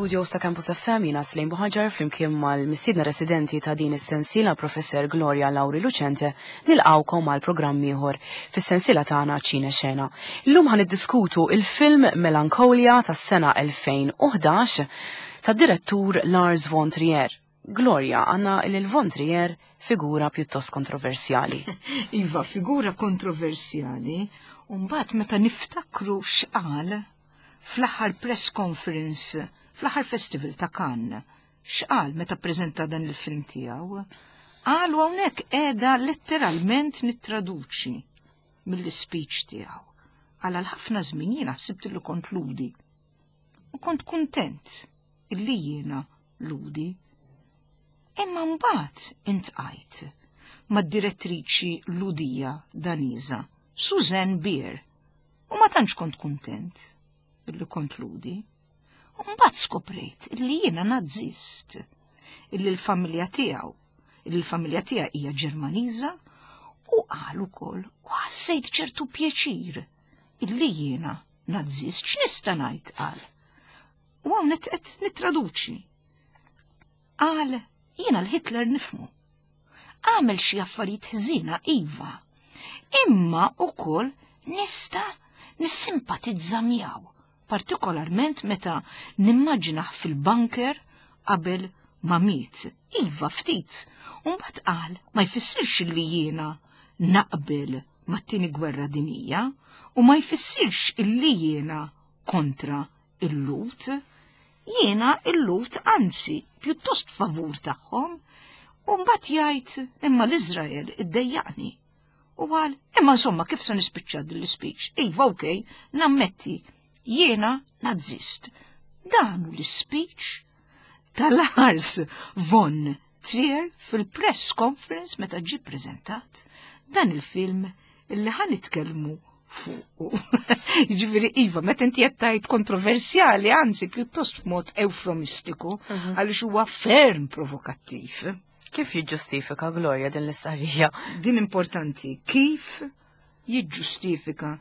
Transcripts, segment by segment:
fl-istudios ta' Campus FM jiena Slejn Buħaġar flimkien mal-mistiedna residenti ta' din is-sensiela Professor Gloria Lauri Lucente nilqawkom għal programm ieħor fis-sensiela tagħna Ċine Xena. Illum ħan niddiskutu il-film Melancholia tas-sena 2011 tad-direttur Lars von Trier. Gloria, għanna il von Trier figura pjuttost kontroversjali. Iva, figura kontroversjali, u mbagħad meta niftakru x'qal fl-aħħar press conference, fl-aħħar festival ta' Cannes, x'qal meta ppreżenta dan il-film tiegħu? Qal u hawnhekk qiegħda letteralment nittraduċi mill-speech tiegħu. Qal għal ħafna żmien jiena ħsibt li kont ludi. U kont kuntent illi jiena ludi. Imma mbagħad intqajt mad-direttriċi Ludija Daniża, Suzanne Bier, U ma tantx kont kuntent illi kont ludi. U mbagħad skoprejt illi jiena nazzist, illi l-familja tiegħu, illi l-familja tiegħi hija Ġermaniża u qal ukoll u ħassejt ċertu pjaċir illi jiena nazzist x'nista' ngħid qal. U hawn qed nittraduċi. Qal jiena l-Hitler nifmu. Għamel xi affarijiet ħżiena iva, imma ukoll nista' nissimpatizza miegħu, partikolarment meta nimmaġinah fil-bunker qabel ma miet. Iva ftit, u mbagħad qal ma jfissirx li jiena naqbel mat-tieni gwerra dinija u ma jfissirx illi jiena kontra il-Lhud. Jiena il-Lhud anzi pjuttost favur tagħhom. U mbagħad jgħid imma l-Iżrael iddejjaqni. U qal, imma insomma kif se nispiċċa din l-ispeech? Iva okej, nammetti, jiena nazzist. Dan hu l-ispeech ta' Lars von Trier fil-press conference meta ġie preżentat dan il-film illi ħa nitkellmu fuqu. Jiġifieri iva, meta inti qed tgħid kontroversjali, anzi pjuttost f'mod eufemistiku, mhm. għaliex huwa ferm provokattiv. Kif jiġġustifika Gloria din l-istqarrija? Din importanti, kif jiġġustifika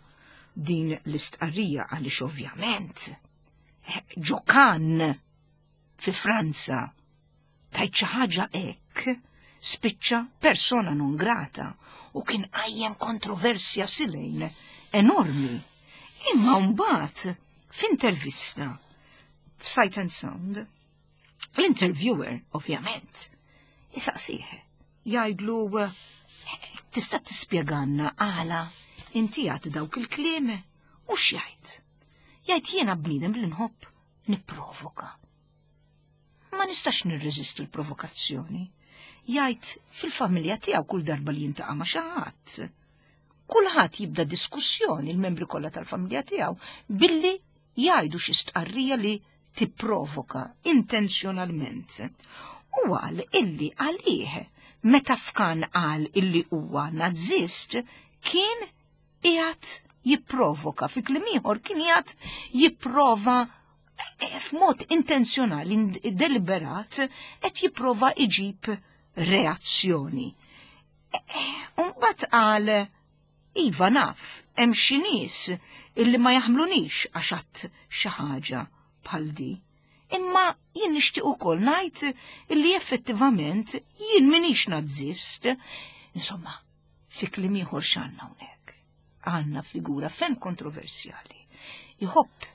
din l-istqarrija għaliex ovvjament eh, ġokan fi Franza tajt xi ħaġa hekk, spiċċa persona non grata u kien qajjem kontroversja silejn enormi. Imma mbagħad f'intervista f'Sight and Sound, l-interviewer, ovvjament, isaqsih, jgħidlu tista' tispjeganna għala inti għad dawk il-kliem u x'jgħid. Jgħid jiena bniedem li nħobb nipprovoka. Ma nistax nirreżisti l-provokazzjoni. Jgħid fil-familja tiegħu kull darba li jintaqa' ma' xi ħadd. Kulħadd jibda diskussjoni l-membri kollha tal-familja tiegħu billi jgħidu xi stqarrija li tipprovoka intenzjonalment. U qal illi għalih meta f'kan qal illi huwa nazzist kien qiegħed jipprovoka, fi kliem ieħor kien qiegħed jipprova eh, f'mod intenzjonali, deliberat, qed jipprova iġib reazzjoni. Eh, eh, Mbagħad qal iva naf, hemm xi nies illi ma jaħmlunix għax għadd xi ħaġa bħal di. Imma jien nixtieq ukoll ngħid illi effettivament jien minix nazzist. Insomma, Fi kliem ieħor x'għandna hawnhekk? Għandna figura ferm kontroversjali. Iħobb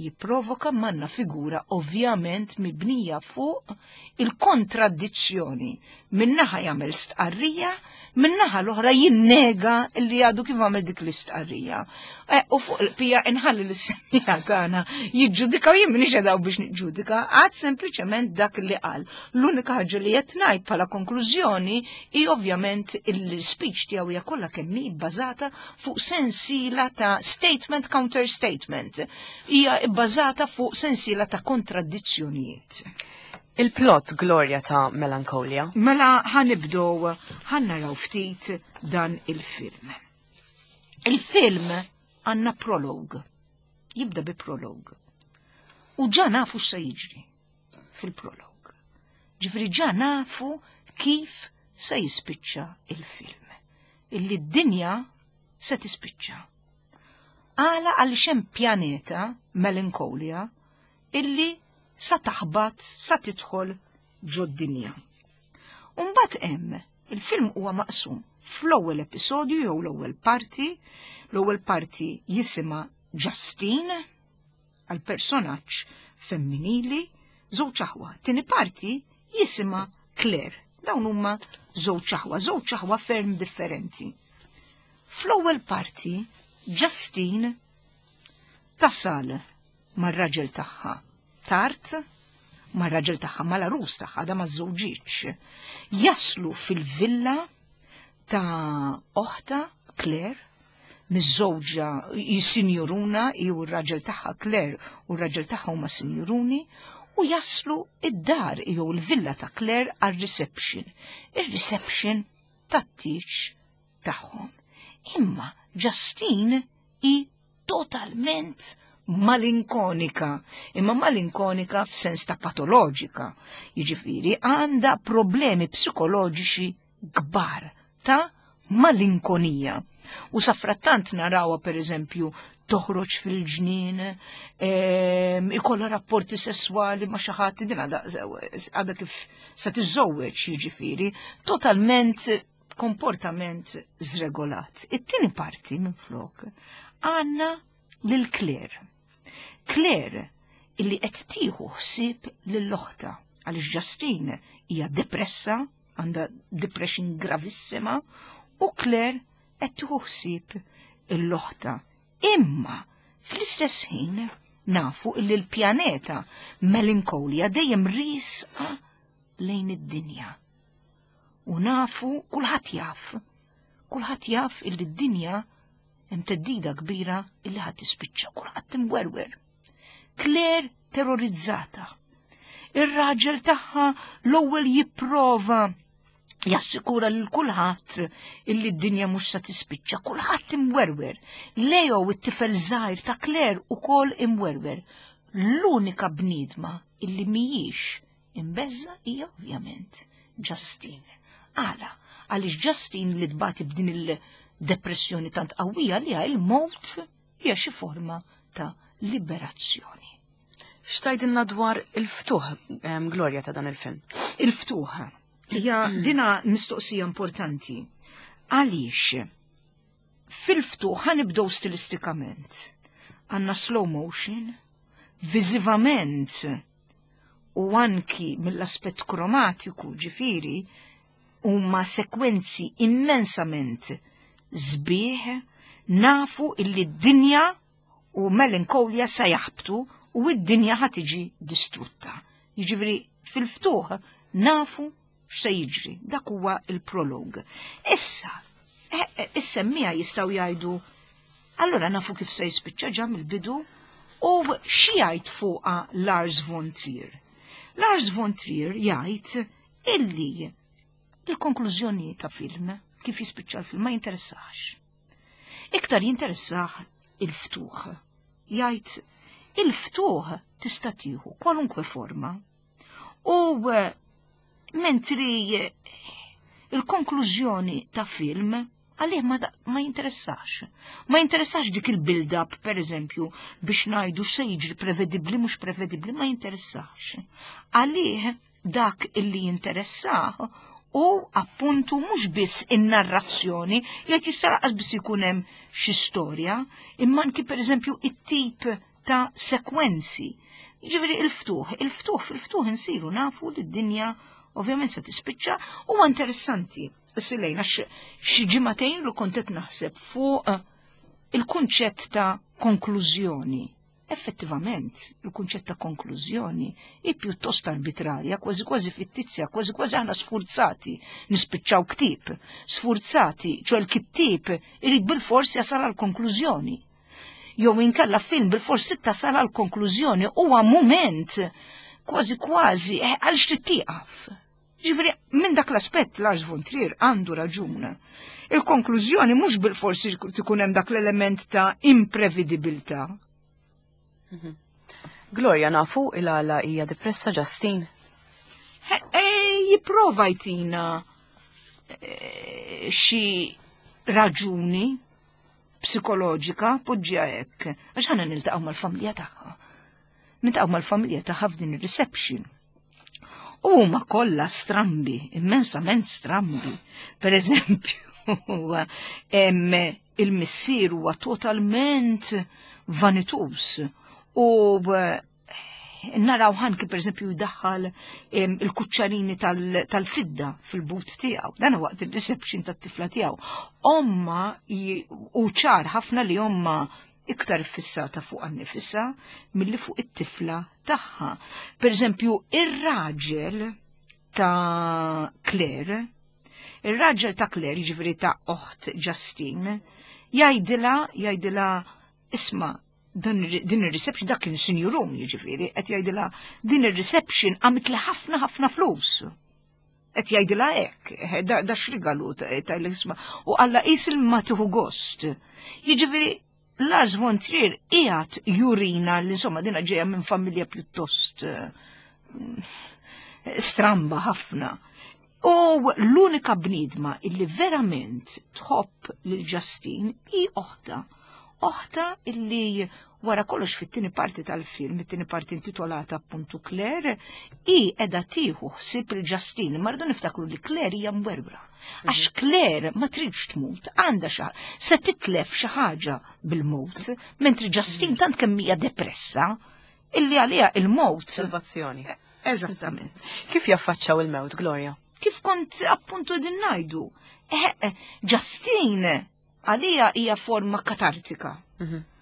jipprovoka manna figura ovvjament mibnija fuq il-kontradizzjoni. Minnaħa jagħmel stqarrija, minnaħa l-oħra jinnega li għadu kif għamel dik l-istqarrija. Eh, u fuq il-pija inħalli l-semija tagħna jiġġudika u jien m'iniex qed biex niġġudika, għad sempliċement dak li qal. L-unika ħaġa li qed ngħid bħala konklużjoni hi ovvjament il-speech tiegħu hija kollha kemm hi bbażata fuq sensiela ta' statement counter statement. Hija bbażata fuq sensiela ta' kontradizzjonijiet. Il-plot Gloria ta' Melancholia. Mela ħanibdow ħannaraw ftit dan il-film. Il-film għandna prolog. Jibda bi prolog. U ġa nafu x'se jiġri fil-prolog. Ġifri ġa nafu kif se jispiċċa il-film. Illi d-dinja se tispiċċa. Għala għaliex hemm pjaneta Melancholia illi sa taħbat sa tidħol ġod-dinja. Umbagħad hemm il-film huwa maqsum fl-ewwel episodju jew l-ewwel parti, l-ewwel parti jisimha Justine għal personaġġ femminili, żewġ aħwa. Tieni parti jisimha Claire. Dawn huma żewġ aħwa, żewġ aħwa ferm differenti. Fl-ewwel parti, Justine tasal mar-raġel tagħha tard, mar-raġel tagħha mal-arus tagħha da ma żżewġitx. Jaslu fil-villa ta' oħta Claire, miż-żewġa sinjuruna, hi u r-raġel tagħha Claire u r-raġel tagħha huma sinjuruni, u jaslu id-dar jew il-villa ta' Claire għar-reception. Ir-reception tat-tieġ tagħhom. Imma Justine hi totalment malinkonika, imma malinkonika f'sens ta' patoloġika. Jiġifieri għandha problemi psikoloġiċi kbar ta' malinkonija. U safrattant narawha pereżempju toħroġ fil-ġnien, ikollha rapporti sesswali ma' xi ħadd din għadha kif se tiżżewweġ jiġifieri, totalment komportament żregolat. It-tieni parti minflok għandna lil Claire. Claire illi qed tieħu ħsieb lil oħta għaliex Justine hija depressa, għandha depression gravissima, u Claire qed tieħu ħsieb l-oħta. Imma fl-istess ħin nafu illi l-pjaneta Melancholia dejjem riesqa lejn id-dinja. U nafu, kulħadd jaf, kulħadd jaf illi d-dinja hemm teddida kbira illi ħadd tispiċċa, kulħadd imwerwer. Claire terrorizzata. Ir-raġel tagħha l-ewwel jipprova jassikura lil kulħadd illi d-dinja mhux se tispiċċa, kulħadd imwerwer. Leo it-tifel żgħir ta' Claire ukoll imwerwer. L-unika bniedma illi mhijiex Imbeżża' hija ovvjament Justine. Għala? Għaliex Justine li tbati b'din il-depressjoni tant qawwija li il-mowt hija xi forma ta' liberazzjoni. X'tgħidilna dwar il-ftuħ, Gloria, ta' dan il-film? Il-ftuħ. Hija dina mistoqsija importanti. Għaliex fil-ftuħ ħanibdew stilistikament. Għandna slow motion, viżivament u anki mill-aspett kromatiku ġifieri huma sekwenzi immensament sbieħ nafu illi d-dinja u melancholia sa jaħbtu u d-dinja ħa tiġi distrutta. Jiġifieri fil-ftuħ nafu x'se jiġri, dak huwa il-prolog. Issa, eh, eh, is-semmija jistgħu jgħidu allura nafu kif se jispiċċa ġa mill-bidu u xi jgħid fuqha Lars von Trier. Lars von Trier jgħid illi il-konklużjoni ta' film kif jispiċċa l-film ma jinteressax. Iktar jinteressah il-ftuħ. Jgħid il-ftuħ tista' tieħu kwalunkwe forma U eh, mentri eh, il-konklużjoni ta' film għalih ma, ma jinteressax. Ma jinteressax dik il-build-up, per eżempju, biex najdu x'se jiġri prevedibbli mhux prevedibbli, ma jinteressax. Għalih dak illi jinteressah u appuntu mhux biss in-narrazzjoni, jgħid jista' laqas biss ikun hemm xi storja, imma anki pereżempju it-tip ta' sekwenzi. Ġifieri il-ftuħ, il-ftuħ fil-ftuħ insiru nafu li d-dinja ovvjament se tispiċċa huwa interessanti. Silejna xi ġimagħtejn li kont qed naħseb fuq eh, il-kunċett ta' konklużjoni. Effettivament, il-kunċett ta' konklużjoni hi pjuttost arbitrarja, kważi kważi fittizja, kważi kważi aħna sfurzati nispiċċaw ktieb, sfurzati, ċo l-kittieb irid bil-fors jasal għal konklużjoni. jew inkella film bil-fors tasal għal konklużjoni huwa mument kważi kważi eh, għal tieqaf. Ġifieri minn dak l-aspett Lars von Trier għandu raġun. Il-konklużjoni mhux bil-forsi tkun hemm dak l-element ta' imprevedibilità. Mhm. Gloria nafu il-għala hija depressa Justin. Eh, jipprova jtina eh, xi raġuni psikoloġika poġġiha hekk, għax ħana niltaqgħu mal-familja tagħha. Niltaqgħu mal-familja tagħha f'din ir-reception. U huma kollha strambi, immensament strambi. Per eżempju, il-missier huwa totalment vanitus u eh, naraw ħanki per eżempju jdaħħal il-kuċċarini tal-fidda fil-but tiegħu. Dan waqt il-reception tat-tifla tiegħu. Omma u ċar ħafna li omma iktar fissata fuq nifisha milli fuq it-tifla tagħha. Per eżempju, ir-raġel ta' Claire, ir-raġel ta' Claire, jiġifieri ta' oħt Justine, jgħidilha jgħidilha isma' din ir-reception dak kien sinjurun jiġifieri qed jgħidilha din ir-reception għamit li ħafna ħafna flus. Qed jgħidilha hekk, eh, da, da x'rigalu ta' l-isma. U alla qis ma tieħu gost. Jiġifieri Lars von Trier qiegħed jurina li insomma dina ġejja minn familja pjuttost eh, stramba ħafna. U l-unika bniedma illi verament tħobb lil Justine hi oħta. Oħta illi wara kollox fit-tieni parti tal-film, it-tieni parti intitolata appuntu Claire, hi qiegħda tieħu ħsieb il Justine, ma rridu niftakru li Claire hija mwerwra. Għax Claire ma tridx tmut, għandha xa, se titlef xi ħaġa bil-mewt, mentri Justine tant kemm hija depressa illi għaliha il-mewt. Salvazzjoni. Eżattament. Kif jaffaċċaw il-mewt, Gloria? Kif kont appuntu din ngħidu? Eh, eh, Justine għalija hija forma katartika.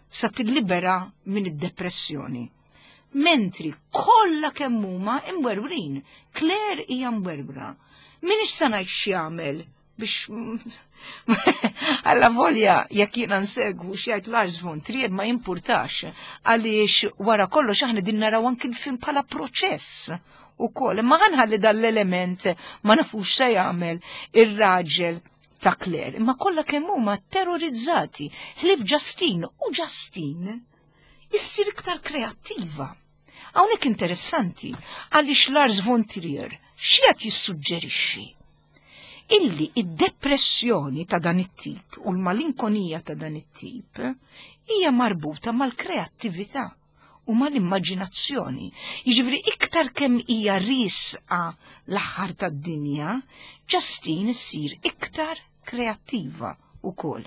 Sa tillibera minn id-depressjoni. Mentri kollha kemm huma imwerwrin. Claire hija mwerwra. Minix sa ngħid x'jagħmel biex alla volja jekk jiena nsegwu x'jgħid Lars von Trier ma jimpurtax għaliex wara kollox aħna din naraw anki l-film bħala proċess ukoll. Imma ħanħalli dan l-element ma nafux se jagħmel ir-raġel ta' Claire. Imma kollha kemm huma terrorizzati ħlief Justine u Justine issir iktar kreattiva. Hawnhekk interessanti għaliex Lars von Trier x'qed jissuġġerixxi illi id-depressjoni ta' dan it-tip u l-malinkonija ta' dan it-tip hija marbuta mal-kreattività u mal-immaġinazzjoni. Jiġifieri iktar kemm hija riesqa l-aħħar tad-dinja, Justine issir iktar kreattiva ukoll.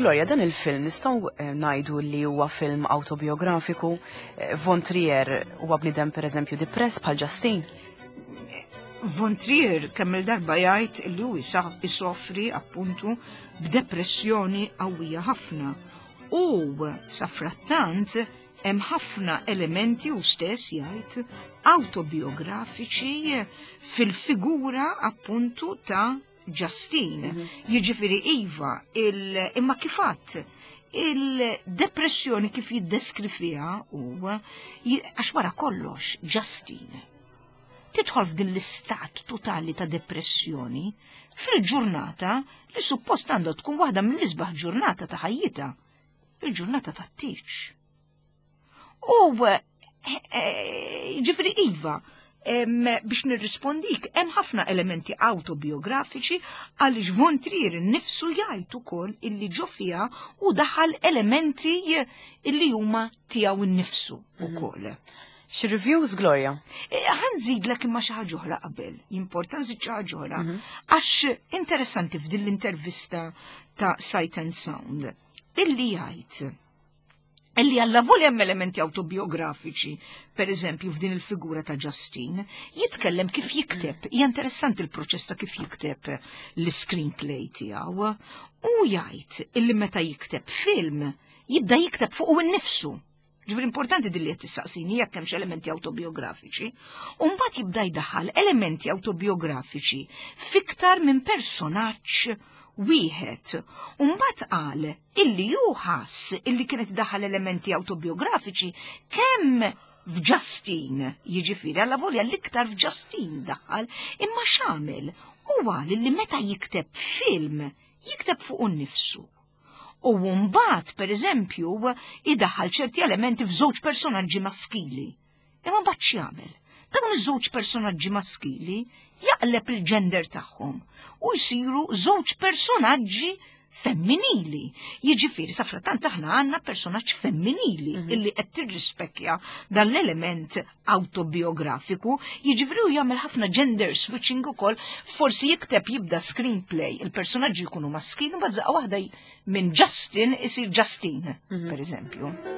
Gloria, dan il-film nistgħu eh, ngħidu li huwa film autobiografiku. Eh, Von Trier huwa bniedem pereżempju depress bħal Justin. Von Trier kemm il-darba jgħid li hu isofri appuntu b'depressjoni qawwija ħafna. U safrattant hemm ħafna elementi u stess jgħid autobiografiċi fil-figura appuntu ta' Justine. Mhm. Jiġifieri iva, imma kifat il-depressjoni kif jiddeskrifiha u għax wara kollox Justine tidħol f'din l-istat totali ta' depressjoni fil-ġurnata li suppost għandha tkun waħda mill-isbaħ ġurnata ta' ħajjitha, il-ġurnata tat-tiċ. U eh, eh, ġifri Iva, biex nirrispondik, hemm ħafna elementi autobiografiċi għaliex Von Trier nifsu jgħid ukoll illi ġo fiha u daħal elementi illi huma tiegħu nnifsu mhm. ukoll. Xi reviews Gloria? Eh, ħa nżidlek imma xi ħaġa oħra qabel, importanti nżid xi ħaġa oħra, mhm. għax interessanti f'din l-intervista ta' Sight and Sound illi jgħid illi għalla voli hemm elementi autobiografiċi, per eżempju f'din il-figura ta' Justine, jitkellem kif jikteb, hija interessanti l-proċess ta' kif jikteb l-screenplay tiegħu, u jgħid illi meta jikteb film, jibda jikteb fuq innifsu. Ġifieri importanti dilli qed tissaqsini jekk hemmx elementi autobiografiċi, u mbagħad jibda jdaħħal elementi autobiografiċi fiktar minn personaġġ wieħed. U mbagħad qal illi hu ħass illi kienet daħal elementi autobiografiċi kemm f'Justine, jiġifieri alla volja l-iktar f'Justine daħal, imma x'għamel huwa li meta jikteb film jikteb fuq nnifsu. U mbagħad, pereżempju, idaħħal ċerti elementi f'żewġ personaġġi maskili. Imma mbagħad x'jagħmel? Dawn iż-żewġ personaġġi maskili jaqleb il-ġender tagħhom u jsiru żewġ personaġġi femminili. Jiġifieri sa frattant aħna għandna personaġġ femminili mm -hmm. illi qed tirrispekja dan l-element autobiografiku, jiġifieri hu jagħmel ħafna gender switching ukoll, forsi jikteb jibda screenplay, il-personaġġi jkunu maskili, u daqqa waħda minn Justin isir Justine, mm -hmm. per eżempju.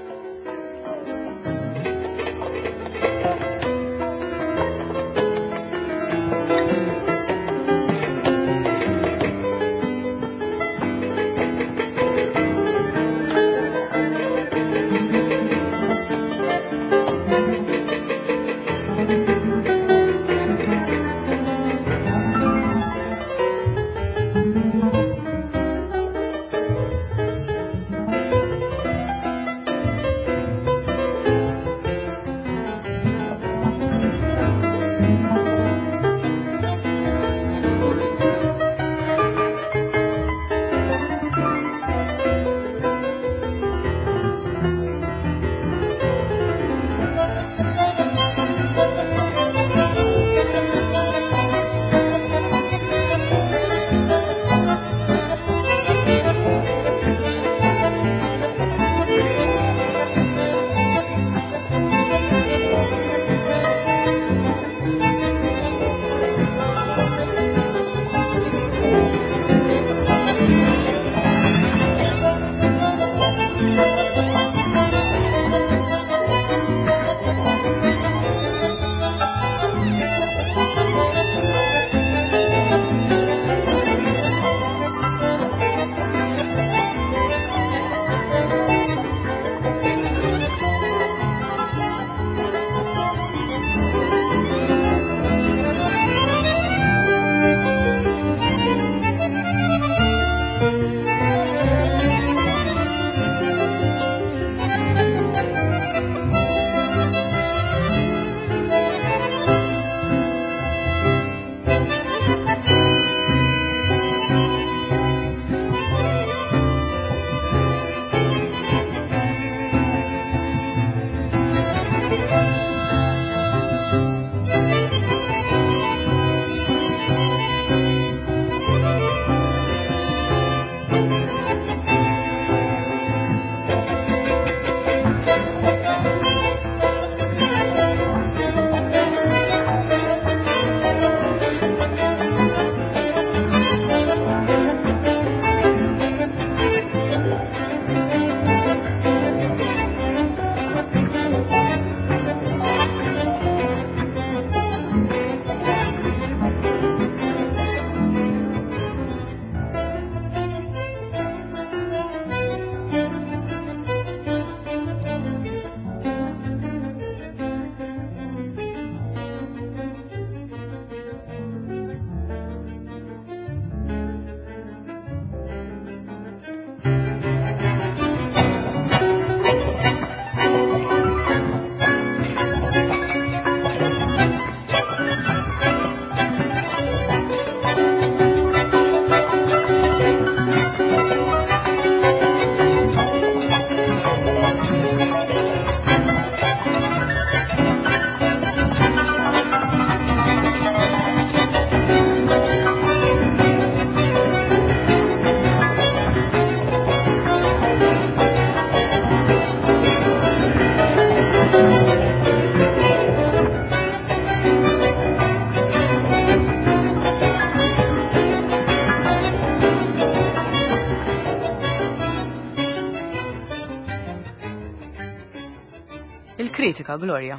Il-kritika, Gloria.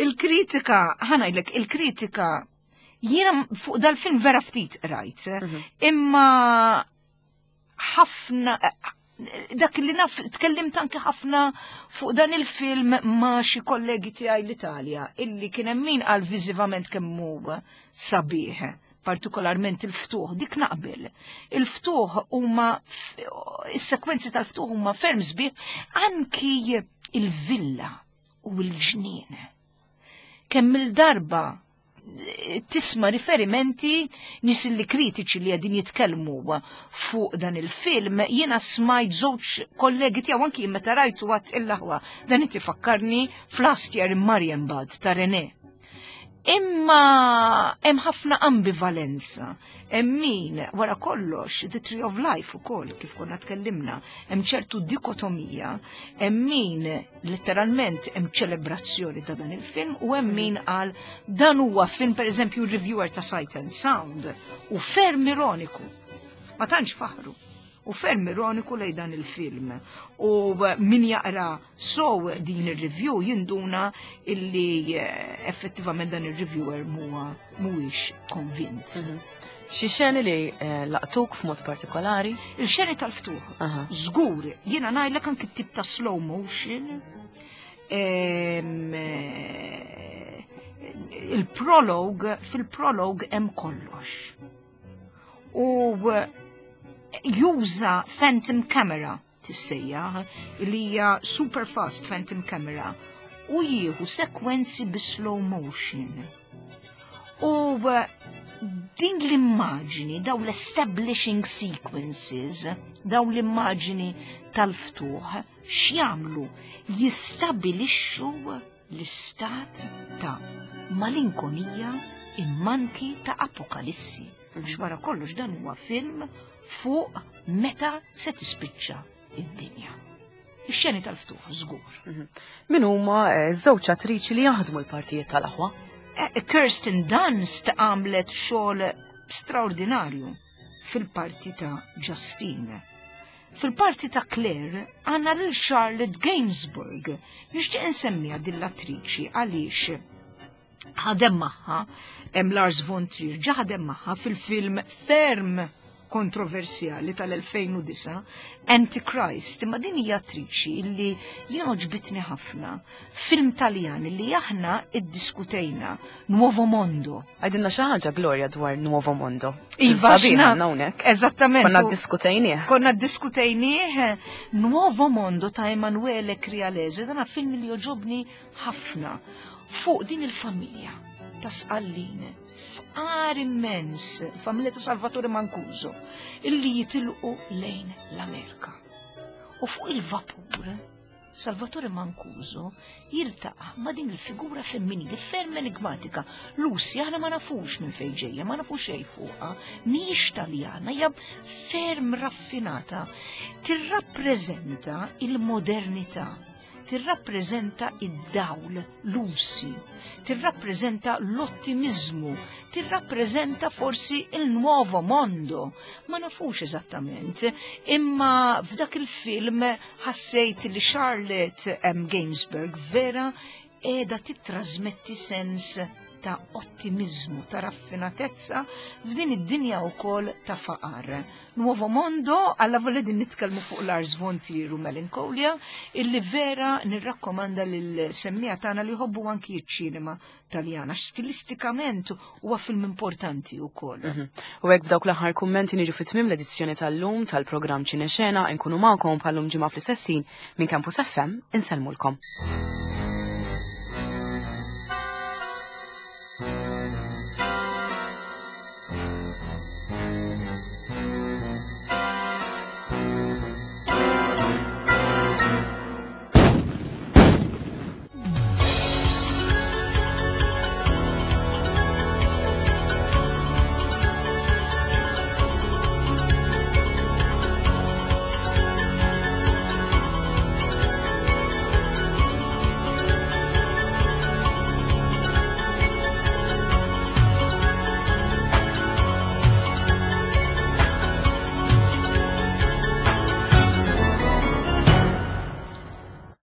Il-kritika, ħa ngħidlek, il-kritika jiena fuq dal-film vera ftit rajt, imma ħafna dak li naf tkellimt anke ħafna fuq dan il-film ma' xi kollegi tiegħi l-Italja illi kien hemm min qal viżivament kemm hu sabiħ, partikolarment il-ftuħ, dik naqbel. Il-ftuħ huma is-sekwenzi tal-ftuħ huma ferm sbieħ anki il-villa u l-ġnien. Kemm il-darba tisma' riferimenti nies li kritiċi li qegħdin jitkellmu fuq dan il-film, jiena smajt żewġ kollegi tiegħu anki meta rajtu għat il-laħwa dan qed ifakkarni f'Last Year in Marienbad ta' René. Imma hemm ħafna ambivalenza. Hemm min wara kollox The Tree of Life ukoll kif konna tkellimna, hemm ċertu dikotomija, hemm min letteralment hemm ċelebrazzjoni ta' dan il-film u hemm min qal dan huwa film pereżempju r-reviewer ta' Sight and Sound u ferm ironiku. Ma tantx faħru. U ferm ironiku lej dan il-film. U min jaqra so din ir-review jinduna illi effettivament dan ir-reviewer huwa mhuwiex konvint. Xi xeni li laqtuk f'mod partikolari? Il-xeni tal-ftuħ. Żgur, jiena ngħidlek anki tip ta' slow motion. Il-prologue, fil-prologue hemm kollox. U juża phantom camera tissejjaħ li hija super fast phantom camera u jieħu sekwenzi bi slow motion. U din l-immaġini, daw l-establishing sequences, daw l-immaġini tal-ftuħ, x'jagħmlu? Jistabilixxu l-istat ta' malinkonija immanki ta' apokalissi. Għax wara kollox dan huwa film fuq meta se tispiċċa id-dinja. Ix-xeni tal-ftuħ, żgur. Min huma żewġ attriċi li jaħdmu l-partijiet tal-aħwa? Kirsten Dunst għamlet xogħol straordinarju fil-parti ta' Justine. Fil-parti ta' Claire għandna lil Charlotte Gainsbourg. Nixtieq insemmiha din l-attriċi għaliex ħadem magħha hemm Lars von Trier ġa ħadem magħha fil-film ferm kontroversjali tal-2009 Antichrist, imma din hija attriċi illi jien għoġbitni ħafna. Film Taljan illi aħna iddiskutejna, Nuovo Mondo. Għidilna xi ħaġa Gloria dwar Nuovo Mondo. Iva, Sabiħ x'na- għandna hawnhekk. Eżattament. Konna ddiskutejnieh. Konna ddiskutejnieh Nuovo Mondo ta' Emanuele Crialese, dan film li joġobni ħafna fuq din il-familja ta' Sqallin, fqar immens, familja ta' Salvatore Mancuso, illi jitilqu lejn l-Amerika. U fuq il-vapur, Salvatore Mancuso jiltaqa' ma' din il-figura femminili ferm enigmatika. Lucy aħna ma nafux minn fejn ġejja, ma nafux xejn fuqha, mhijiex Taljana, hija ferm raffinata. Tirrappreżenta il-modernità, tirrappreżenta id-dawl, Lucy, tirrappreżenta l-ottimizmu, tirrappreżenta forsi il-nuovo mondo. Ma nafux eżattament, imma f'dak il-film ħassejt li Charlotte M. Gainsbourg vera qiegħda tittrasmetti sens ta' ottimizmu, ta' raffinatezza f'din id-dinja wkoll ta' faqar. Nuovo Mondo, alla volja din nitkellmu fuq Lars von Trier u Melancholia, illi vera nirrakkomanda lil semmiegħa tagħna li jħobbu anki ċ-ċinema Taljana. Stilistikament huwa film importanti wkoll. U hekk b'dawk l-aħħar kummenti niġu fit-tmiem l-edizzjoni tal-lum tal-programm Ċinexena, nkunu magħkom bħallum ġimgħa fl-istess ħin minn Campus FM, insellmulkom.